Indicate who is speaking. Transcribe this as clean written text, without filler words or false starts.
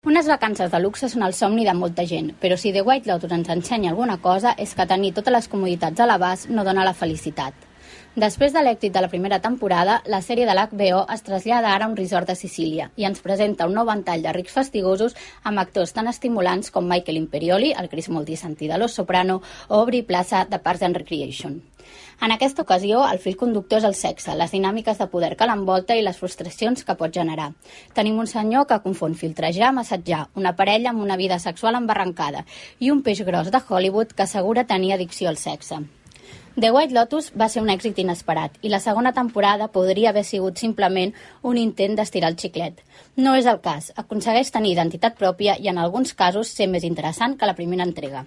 Speaker 1: Unes vacances de luxe són el somni de molta gent, però si The White Lotus ens ensenya alguna cosa és que tenir totes les comoditats a l'abast no dona la felicitat. Després de l'èxit de la primera temporada, la sèrie de l'HBO es trasllada ara a un resort de Sicília i ens presenta un nou ventall de rics fastigosos amb actors tan estimulants com Michael Imperioli, el Chris Moltisanti de Los Soprano, o Aubrey Plaza de Parks and Recreation. En aquesta ocasió, el fil conductor és el sexe, les dinàmiques de poder que l'envolta i les frustracions que pot generar. Tenim un senyor que confon filtrejar amb assetjar, una parella amb una vida sexual embarrancada i un peix gros de Hollywood que assegura tenir addicció al sexe. The White Lotus va ser un èxit inesperat i la segona temporada podria haver sigut simplement un intent d'estirar el xiclet. No és el cas, aconsegueix tenir identitat pròpia i en alguns casos ser més interessant que la primera entrega.